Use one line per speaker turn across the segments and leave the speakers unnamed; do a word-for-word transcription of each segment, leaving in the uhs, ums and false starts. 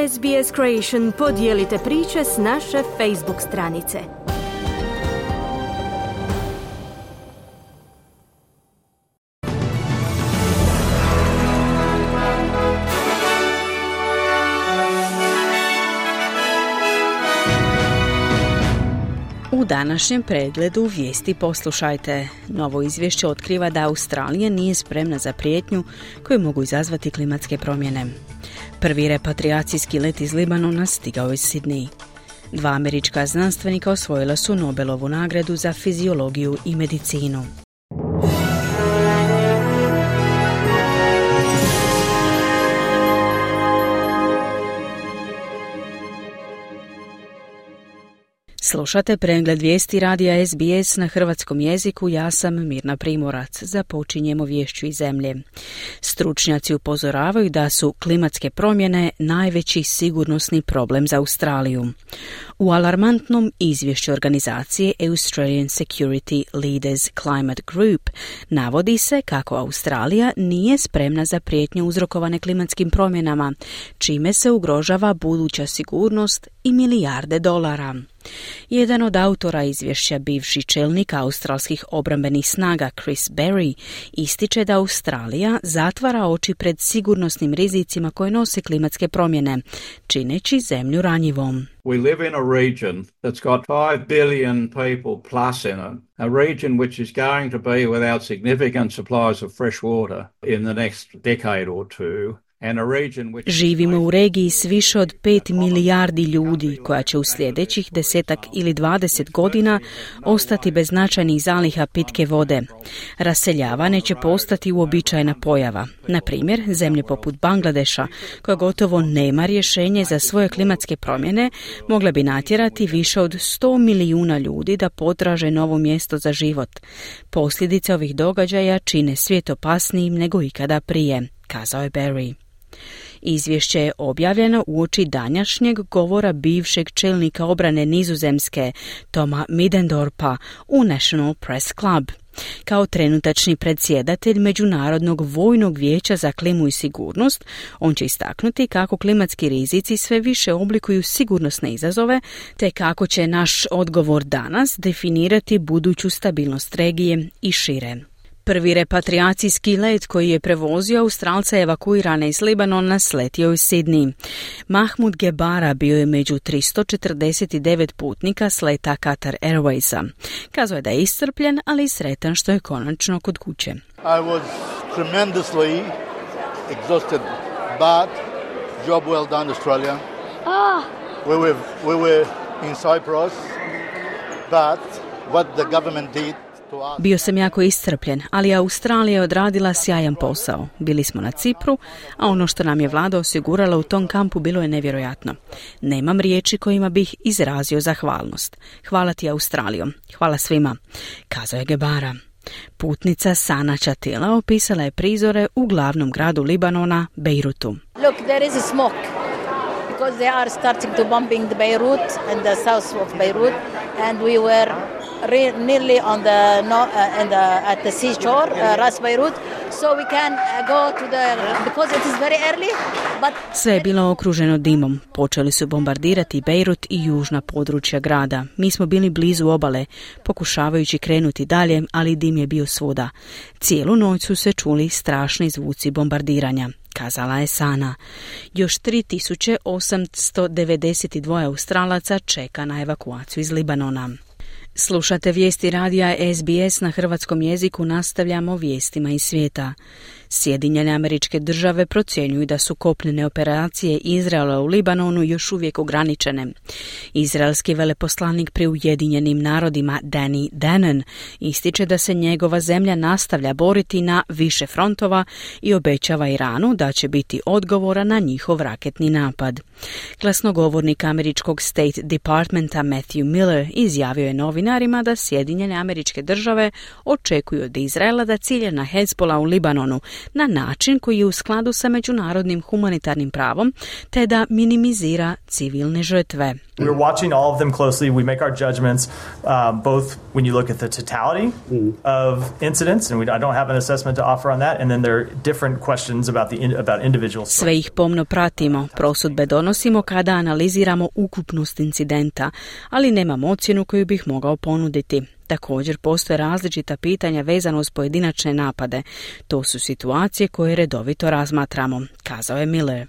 S B S Creation podijelite priče s naše Facebook stranice.
U današnjem pregledu vijesti poslušajte. Novo izvješće otkriva da Australija nije spremna za prijetnju koju mogu izazvati klimatske promjene. Prvi repatriacijski let iz Libanona stigao iz Sidney. Dva američka znanstvenika osvojila su Nobelovu nagradu za fiziologiju i medicinu. Slušate pregled vijesti radija S B S na hrvatskom jeziku, ja sam Mirna Primorac. Započinjemo viješću iz zemlje. Stručnjaci upozoravaju da su klimatske promjene najveći sigurnosni problem za Australiju. U alarmantnom izvješću organizacije Australian Security Leaders Climate Group navodi se kako Australija nije spremna za prijetnje uzrokovane klimatskim promjenama, čime se ugrožava buduća sigurnost i milijarde dolara. Jedan od autora izvješća, bivši čelnik australskih obrambenih snaga Chris Berry, ističe da Australija zatvara oči pred sigurnosnim rizicima koje nose klimatske promjene, čineći zemlju ranjivom.
We live in a region that's got five billion people plus in it, a region which is going to be without significant supplies of fresh water in the next decade or two.
Živimo u regiji s više od pet milijardi ljudi koja će u sljedećih desetak ili dvadeset godina ostati bez značajnih zaliha pitke vode. Raseljavanje će postati uobičajena pojava. Na primjer, zemlje poput Bangladeša, koja gotovo nema rješenje za svoje klimatske promjene, mogla bi natjerati više od sto milijuna ljudi da potraže novo mjesto za život. Posljedice ovih događaja čine svijet opasnijim nego ikada prije, kazao je Berry. Izvješće je objavljeno uoči današnjeg govora bivšeg čelnika obrane Nizozemske, Toma Middendorpa, u National Press Club. Kao trenutačni predsjedatelj Međunarodnog vojnog vijeća za klimu i sigurnost, on će istaknuti kako klimatski rizici sve više oblikuju sigurnosne izazove, te kako će naš odgovor danas definirati buduću stabilnost regije i šire. Prvi repatriacijski let koji je prevozio Australca evakuirane iz Libanona sletio iz Sidney. Mahmud Gebara bio je među tristo četrdeset devet putnika s leta Qatar Airwaysa. Kazao je da je iscrpljen, ali i sretan što je konačno kod kuće.
I was tremendously exhausted, but job well done, Australia.
Oh.
We were, we were in Cyprus, but what the government did.
Bio sam jako iscrpljen, ali Australija je odradila sjajan posao. Bili smo na Cipru, a ono što nam je vlada osigurala u tom kampu bilo je nevjerojatno. Nemam riječi kojima bih izrazio zahvalnost. Hvala ti, Australijo. Hvala svima, kazao je Gebara. Putnica Sana Chatila opisala je prizore u glavnom gradu Libanona, Beirutu.
Look, there is a smoke. Because they are starting to bombing the Beirut and the south of Beirut, and we were re- nearly on the no, uh, and the, at the seashore, uh, Ras Beirut, so we can uh, go to the because it is very early. But
sve je bilo okruženo dimom. Počeli su bombardirati Beirut i južna područja grada. Mi smo bili blizu obale, pokušavajući krenuti dalje, ali dim je bio svuda. Cijelu noć su se čuli strašni zvuci bombardiranja, kazala je Sana. Još tri tisuće osamsto devedeset dva Australaca čeka na evakuaciju iz Libanona. Slušate vijesti radija S B S na hrvatskom jeziku, nastavljamo vijestima iz svijeta. Sjedinjene Američke Države procjenjuju da su kopnene operacije Izraela u Libanonu još uvijek ograničene. Izraelski veleposlanik pri Ujedinjenim narodima Danny Danon ističe da se njegova zemlja nastavlja boriti na više frontova i obećava Iranu da će biti odgovora na njihov raketni napad. Glasnogovornik američkog State Departmenta Matthew Miller izjavio je novinarima da Sjedinjene Američke Države očekuju od Izraela da cilje na Hezbollah u Libanonu na način koji je u skladu sa međunarodnim humanitarnim pravom, te da minimizira civilne žrtve.
We're watching all of them closely. We make our judgments um, both when you look at the totality of incidents, and we, I don't have an assessment to offer on that, and then there are different questions about the in, about individual.
Sve ih pomno pratimo, prosudbe donosimo kada analiziramo ukupnost incidenta, ali nemam ocjenu koju bih mogao ponuditi. Također postoje različita pitanja vezano uz pojedinačne napade. To su situacije koje redovito razmatramo, kazao je Miller.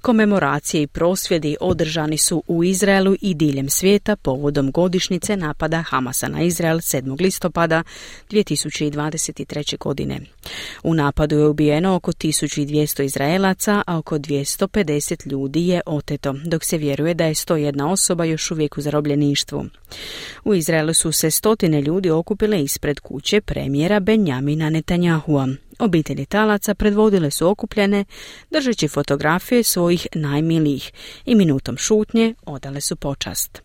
Komemoracije i prosvjedi održani su u Izraelu i diljem svijeta povodom godišnjice napada Hamasa na Izrael sedmog listopada dvije tisuće dvadeset treće. godine. U napadu je ubijeno oko tisuću dvjesto Izraelaca, a oko dvjesto pedeset ljudi je oteto, dok se vjeruje da je sto jedna osoba još uvijek u zarobljeništvu. U Izraelu su se stotine ljudi okupile ispred kuće premijera Benjamina Netanyahua. Obitelji talaca predvodile su okupljene, držeći fotografije svojih najmilijih i minutom šutnje odale su počast.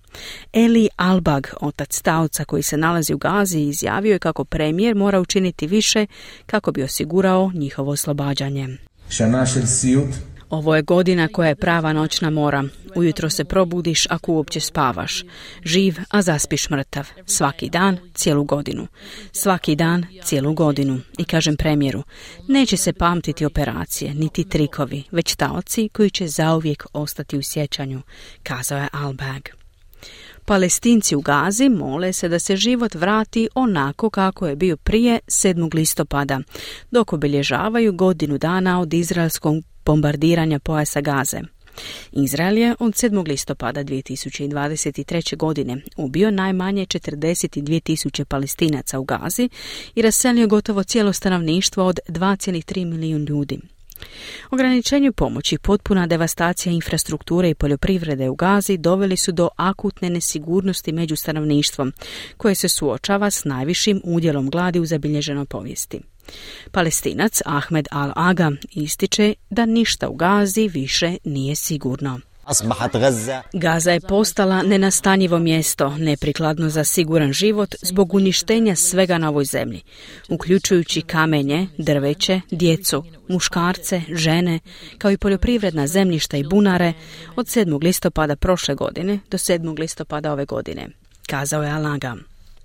Eli Albag, otac taoca koji se nalazi u Gazi, izjavio je kako premijer mora učiniti više kako bi osigurao njihovo oslobađanje. Ovo je godina koja je prava noćna mora. Ujutro se probudiš ako uopće spavaš. Živ, a zaspiš mrtav. Svaki dan, cijelu godinu. Svaki dan, cijelu godinu. I kažem premijeru, neće se pamtiti operacije, niti trikovi, već taoci koji će zauvijek ostati u sjećanju, kazao je Albag. Palestinci u Gazi mole se da se život vrati onako kako je bio prije sedmog listopada, dok obilježavaju godinu dana od izraelskog bombardiranja pojasa Gaze. Izrael je od sedmog listopada dvije tisuće dvadeset treće. godine ubio najmanje četrdeset dvije tisuće Palestinaca u Gazi i raselio gotovo cijelo stanovništvo od dva zarez tri milijuna ljudi. Ograničenju pomoći, potpuna devastacija infrastrukture i poljoprivrede u Gazi doveli su do akutne nesigurnosti među stanovništvom, koje se suočava s najvišim udjelom gladi u zabilježenoj povijesti. Palestinac Ahmed Al-Aga ističe da ništa u Gazi više nije sigurno. Gaza je postala nenastanjivo mjesto, neprikladno za siguran život zbog uništenja svega na ovoj zemlji, uključujući kamenje, drveće, djecu, muškarce, žene, kao i poljoprivredna zemljišta i bunare od sedmog listopada prošle godine do sedmog listopada ove godine, kazao je Al-Aga.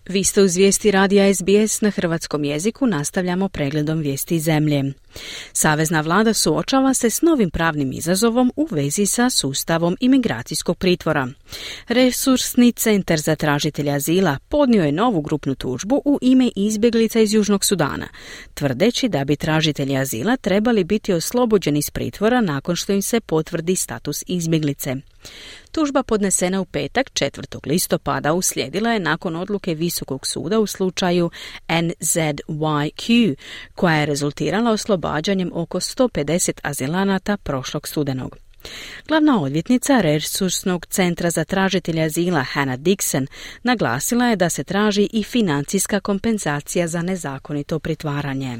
Vi ste uz vijesti radija S B S na hrvatskom jeziku, nastavljamo pregledom vijesti zemlje. Savezna vlada suočava se s novim pravnim izazovom u vezi sa sustavom imigracijskog pritvora. Resursni centar za tražitelje azila podnio je novu grupnu tužbu u ime izbjeglica iz Južnog Sudana, tvrdeći da bi tražitelji azila trebali biti oslobođeni iz pritvora nakon što im se potvrdi status izbjeglice. Tužba podnesena u petak četvrtog listopada uslijedila je nakon odluke Visokog suda u slučaju N Z Y Q, koja je rezultirala oslobađanjem oko sto pedeset azilanata prošlog studenog. Glavna odvjetnica Resursnog centra za tražitelje azila Hannah Dixon naglasila je da se traži i financijska kompenzacija za nezakonito pritvaranje.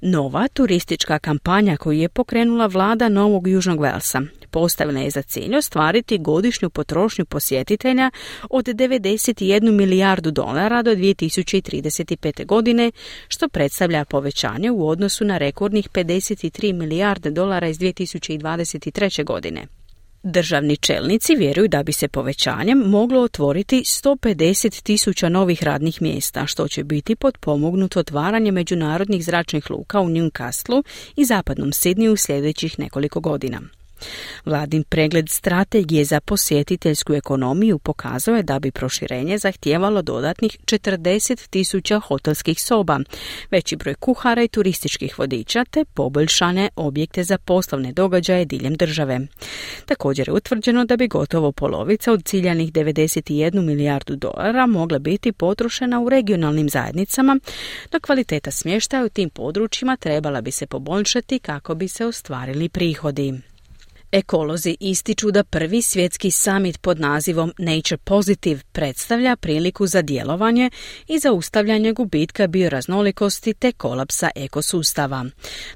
Nova turistička kampanja koju je pokrenula vlada Novog Južnog Velsa postavila je za cilj ostvariti godišnju potrošnju posjetitelja od devedeset jednu milijardu dolara do dvije tisuće trideset pete. godine, što predstavlja povećanje u odnosu na rekordnih pedeset tri milijarde dolara iz dvije tisuće dvadeset treće. godine. Državni čelnici vjeruju da bi se povećanjem moglo otvoriti sto pedeset tisuća novih radnih mjesta, što će biti potpomognuto otvaranje međunarodnih zračnih luka u Newcastlu i zapadnom Sidneyu u sljedećih nekoliko godina. Vladin pregled strategije za posjetiteljsku ekonomiju pokazao je da bi proširenje zahtijevalo dodatnih četrdeset tisuća hotelskih soba, veći broj kuhara i turističkih vodiča te poboljšane objekte za poslovne događaje diljem države. Također je utvrđeno da bi gotovo polovica od ciljanih devedeset jednu milijardu dolara mogla biti potrošena u regionalnim zajednicama, dok kvaliteta smještaja u tim područjima trebala bi se poboljšati kako bi se ostvarili prihodi. Ekolozi ističu da prvi svjetski summit pod nazivom Nature Positive predstavlja priliku za djelovanje i zaustavljanje gubitka bioraznolikosti te kolapsa ekosustava.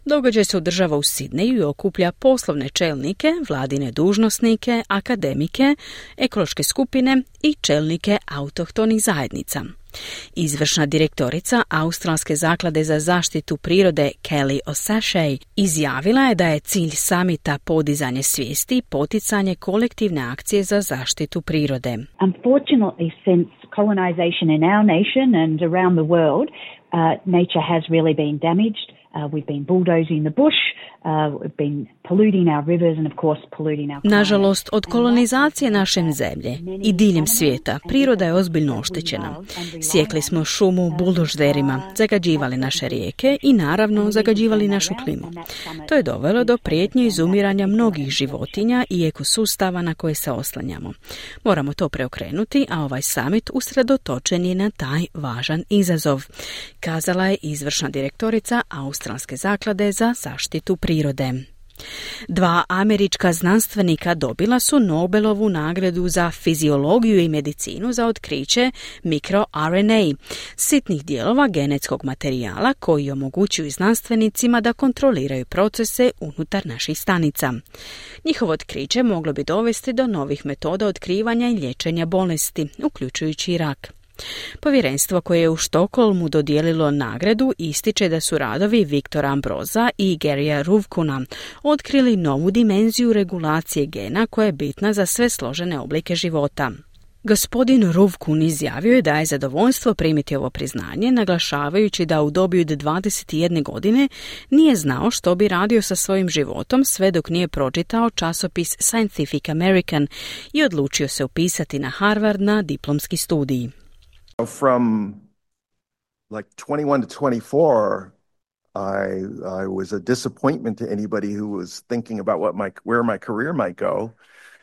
Događaj se održava u Sidneju i okuplja poslovne čelnike, vladine dužnosnike, akademike, ekološke skupine i čelnike autohtonih zajednica. Izvršna direktorica Australske zaklade za zaštitu prirode Kelly O'Sashey izjavila je da je cilj samita podizanje svijesti i poticanje kolektivne akcije za zaštitu prirode.
Unfortunately, since colonization in our nation and around the world, uh, nature has really been damaged. Uh, we've been bulldozing the bush, uh, we've been polluting our rivers and of course polluting our climate.
Nažalost, od kolonizacije naše zemlje i diljem svijeta priroda je ozbiljno oštećena. Sjekli smo šumu buldožerima, zagađivali naše rijeke i naravno zagađivali našu klimu. To je dovelo do prijetnje izumiranja mnogih životinja i ekosustava na koje se oslanjamo. Moramo to preokrenuti, a ovaj summit usredotočen je na taj važan izazov, kazala je izvršna direktorica Australske zaklade za zaštitu prirode. Dva američka znanstvenika dobila su Nobelovu nagradu za fiziologiju i medicinu za otkriće mikroR N A, sitnih dijelova genetskog materijala koji omogućuju znanstvenicima da kontroliraju procese unutar naših stanica. Njihovo otkriće moglo bi dovesti do novih metoda otkrivanja i liječenja bolesti, uključujući i rak. Povjerenstvo koje je u Štokholmu dodijelilo nagradu ističe da su radovi Viktora Ambroza i Garyja Ruvkuna otkrili novu dimenziju regulacije gena koja je bitna za sve složene oblike života. Gospodin Ruvkun izjavio je da je zadovoljstvo primiti ovo priznanje, naglašavajući da u dobi od dvadeset jedne godine nije znao što bi radio sa svojim životom sve dok nije pročitao časopis Scientific American i odlučio se upisati na Harvard na diplomski studij.
From like twenty-one to twenty-four, I I was a disappointment to anybody who was thinking about what my where my career might go.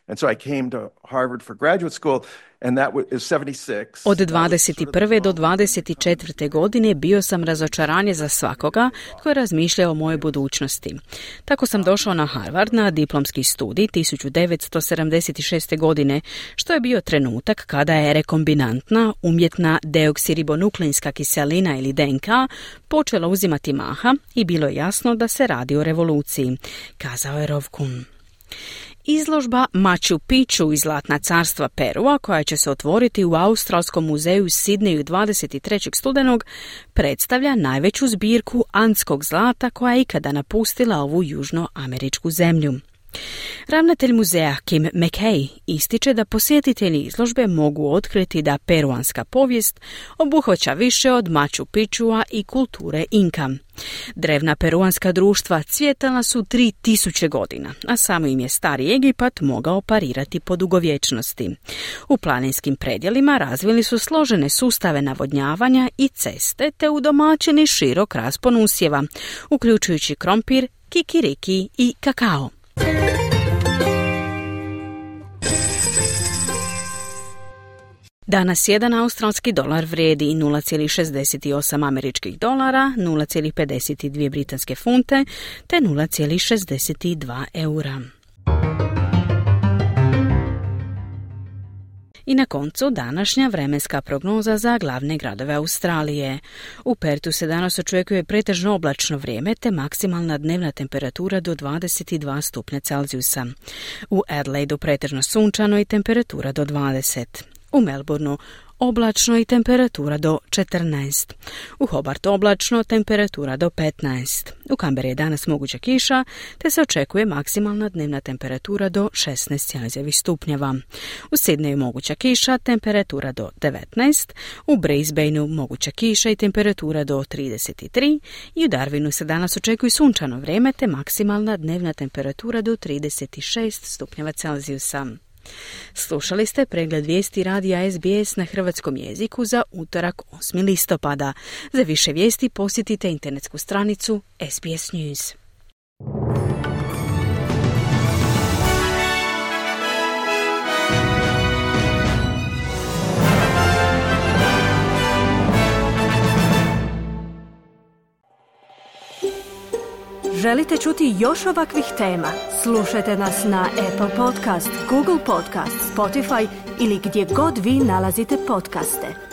And so I came to Harvard for graduate school, and that is seventy-six.
Od dvadeset prve do dvadeset četvrte godine bio sam razočaranje za svakoga tko je razmišljao o mojoj budućnosti. Tako sam došao na Harvard na diplomski studij tisuću devetsto sedamdeset šeste. godine, što je bio trenutak kada je rekombinantna umjetna deoksiribonukleinska kiselina ili D N K počela uzimati maha i bilo je jasno da se radi o revoluciji, kazao je Ruvkun. Izložba Machu Picchu iz Zlatna carstva Perua, koja će se otvoriti u Australskom muzeju u Sidneju dvadeset trećeg studenog, predstavlja najveću zbirku andskog zlata koja je ikada napustila ovu južnoameričku zemlju. Ravnatelj muzeja Kim McKay ističe da posjetitelji izložbe mogu otkriti da peruanska povijest obuhvaća više od Machu Picchua i kulture Inka. Drevna peruanska društva cvjetala su tri tisuće godina, a samo im je stari Egipat mogao parirati po dugovječnosti. U planinskim predjelima razvili su složene sustave navodnjavanja i ceste te udomaćeni širok raspon usjeva, uključujući krompir, kikiriki i kakao. Danas jedan australski dolar vrijedi nula zarez šezdeset osam američkih dolara, nula zarez pedeset dvije britanske funte te nula zarez šezdeset dva eura. I na koncu današnja vremenska prognoza za glavne gradove Australije. U Pertu se danas očekuje pretežno oblačno vrijeme te maksimalna dnevna temperatura do dvadeset dva stupnja Celzijusa. U Adelaidu pretežno sunčano i temperatura do dvadeset. U Melbourneu oblačno i temperatura do četrnaest. U Hobartu oblačno, temperatura do petnaest. U Canberri je danas moguća kiša, te se očekuje maksimalna dnevna temperatura do šesnaest Celzijevih stupnjeva. U Sidneju moguća kiša, temperatura do devetnaest. U Brisbaneu moguća kiša i temperatura do trideset tri. I u Darwinu se danas očekuje sunčano vrijeme, te maksimalna dnevna temperatura do trideset šest stupnjeva Celzijusa. Slušali ste pregled vijesti radija S B S na hrvatskom jeziku za utorak osmog listopada. Za više vijesti posjetite internetsku stranicu S B S News.
Želite čuti još ovakvih tema? Slušajte nas na Apple Podcast, Google Podcast, Spotify ili gdje god vi nalazite podcaste.